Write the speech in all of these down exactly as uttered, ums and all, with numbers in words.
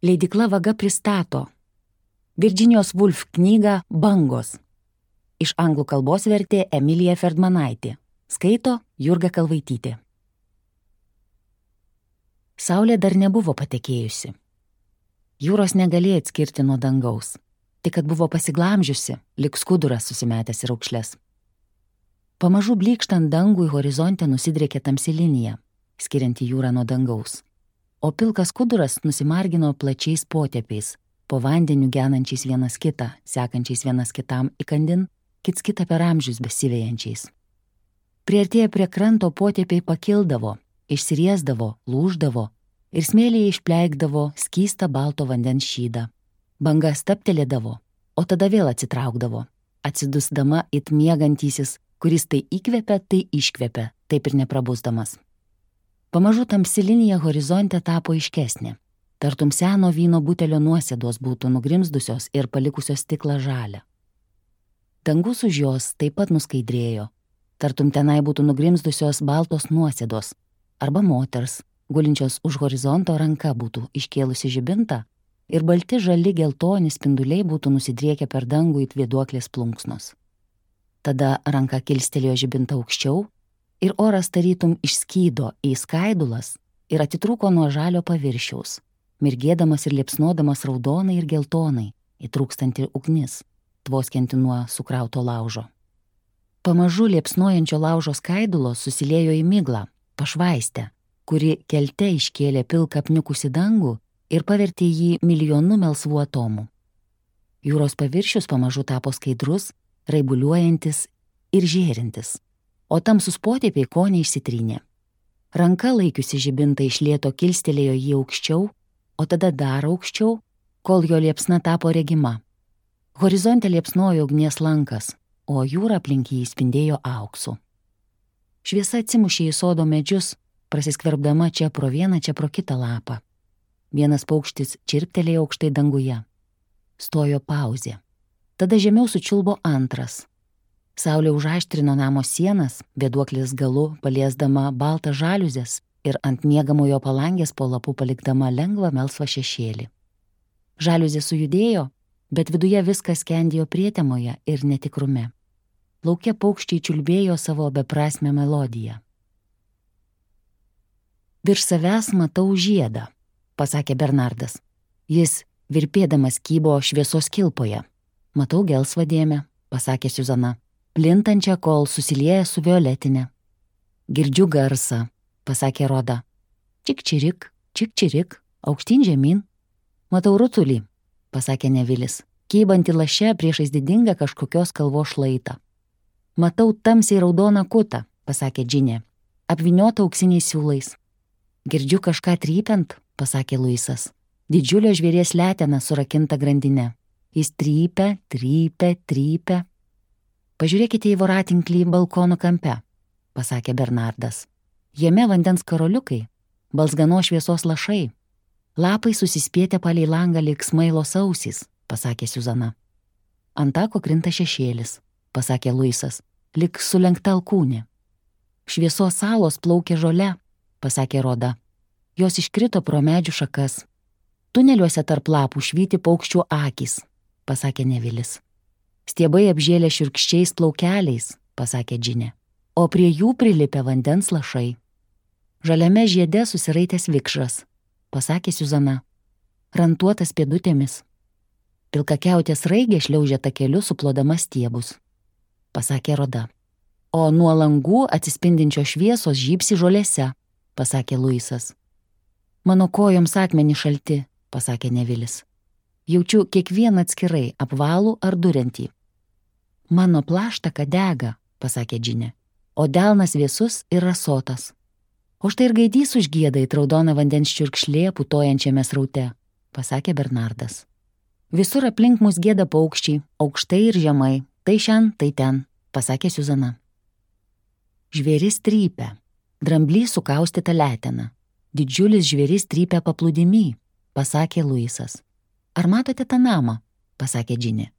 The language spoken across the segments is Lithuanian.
Leidykla Vaga pristato Virginijos Woolf knygą Bangos. Iš anglų kalbos vertė Emilija Ferdmanaitė. Skaito Jurga Kalvaitytė. Saulė dar nebuvo patekėjusi. Jūros negalėjo atskirti nuo dangaus, tik kad buvo pasiglamžiusi, lyg skuduras susimetęs į raukšles. Pamažu blykštant dangui horizonte nusidriekė tamsi linija, skirianti jūrą nuo dangaus, o pilkas skuduras nusimargino plačiais potėpiais, po vandeniu genančiais vienas kitą, sekančiais vienas kitam įkandin, kits kitą per amžius besivejančiais. Priartėję prie kranto potėpiai pakildavo, išsiriesdavo, lūždavo ir smėlyje išpleikdavo skystą balto vandens šydą. Banga staptelėdavo, o tada vėl atsitraukdavo, atsidusdama it miegantysis, kuris tai įkvepia, tai iškvepia, taip ir neprabusdamas. Pamažu tamsi linija horizonte tapo aiškesnė. Tartum seno vyno butelio nuosėdos būtų nugrimzdusios ir palikusios stiklą žalią. Dangus už jos taip pat nuskaidrėjo, tartum tenai būtų nugrimzdusios baltos nuosėdos, arba moters, gulinčios už horizonto ranka būtų iškėlusi žibintą ir balti žali geltoni spinduliai būtų nusidriekę per dangų it vėduoklės plunksnos. Tada ranka kilstelėjo žibintą aukščiau ir oras tarytum išskydo į skaidulas ir atitrūko nuo žalio paviršiaus, mirgėdamas ir liepsnodamas raudonai ir geltonai, įtrūkstanti ugnis, tvoskianti nuo sukrauto laužo. Pamažu liepsnojančio laužo skaidulos susiliejo į miglą, pašvaistę, kuri kelte iškėlė pilką apniukusį dangų ir pavertė jį milijonu melsvų atomų. Jūros paviršius pamažu tapo skaidrus, raibuliuojantis ir žėrintis, o tamsus potėpiai kone išsitrynė. Ranka laikiusi žibintą iš lėto kilstelėjo jį aukščiau, o tada dar aukščiau, kol jo liepsna tapo regima. Horizonte liepsnojo ugnies lankas, o jūra aplink jį spindėjo auksu. Šviesa atsimušė į sodo medžius, prasiskverbdama čia pro vieną, čia pro kitą lapą. Vienas paukštis čirptelėjo aukštai danguje. Stojo pauzė. Tada žemiau sučiulbo antras. Saulė užaštrino namo sienas, vėduoklės galu paliesdama baltą žaliuzės ir ant miegamojo palangės po lapų palikdama lengvą melsvą šešėlį. Žaliuzė sujudėjo, bet viduje viskas skendėjo prietemoje ir netikrume. Lauke paukščiai čiulbėjo savo beprasmę melodiją. Virš savęs matau žiedą, pasakė Bernardas. Jis virpėdamas kybo šviesos kilpoje. Matau gelsvą dėmę, pasakė Siuzana, plintančią, kol susilieja su violetinė. Girdžiu garsą, pasakė Roda. Čik-čirik, čik-čirik, aukštyn žemyn. Matau rutulį, pasakė Nevilis, kybantį laše priešais didingą kažkokios kalvos šlaitą. Matau tamsiai raudoną kutą, pasakė Džinė, apvyniotą auksiniais siūlais. Girdžiu kažką trypiant, pasakė Luisas. Didžiulio žvėries letena surakinta grandinė. Jis trypia, trypia, trypia. Pažiūrėkite į voratinklį balkono kampe, pasakė Bernardas. Jame vandens karoliukai, balzgano šviesos lašai. Lapai susispietę palei langą lyg smailos ausys, pasakė Siuzana. Ant tako krinta šešėlis, pasakė Luisas, lyg sulenkta alkūnė. Šviesos salos plaukė žole, pasakė Roda. Jos iškrito pro medžių šakas. Tuneliuose tarp lapų švyti paukščių akys, pasakė Nevilis. Stiebai apžėlė šiurkščiais plaukeliais, pasakė Džinė, o prie jų prilipę vandens lašai. Žaliame žiede susiraitęs vikšras, pasakė Siuzana, rantuotas pėdutėmis. Pilkakiautės raigė šliaužė takeliu suplodama stiebus, pasakė Roda. O nuo langų atsispindinčio šviesos žybsi žolėse, pasakė Luisas. Mano kojoms akmenį šalti, pasakė Nevilis. Jaučiu kiekvieną atskirai, apvalų ar duriantį. Mano plaštaka dega, pasakė Džinė, o delnas vėsus ir rasotas. O štai ir gaidys užgieda į raudoną vandens čiurkšlė putojančiame sraute, pasakė Bernardas. Visur aplink mus gieda paukščiai, aukštai ir žemai, tai šen, tai ten, pasakė Siuzana. Žvėris trypia, dramblys sukaustyta letena. Didžiulis žvėris trypia paplūdimy, pasakė Luisas. Ar matote tą namą, pasakė Džinė.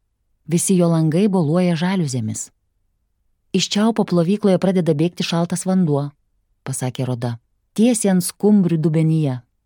Visi jo langai boluoja žaliuzėmis. Iš čiaupo plovykloje pradeda bėgti šaltas vanduo, pasakė Roda. Tiesiai ant skumbrių dubenyje.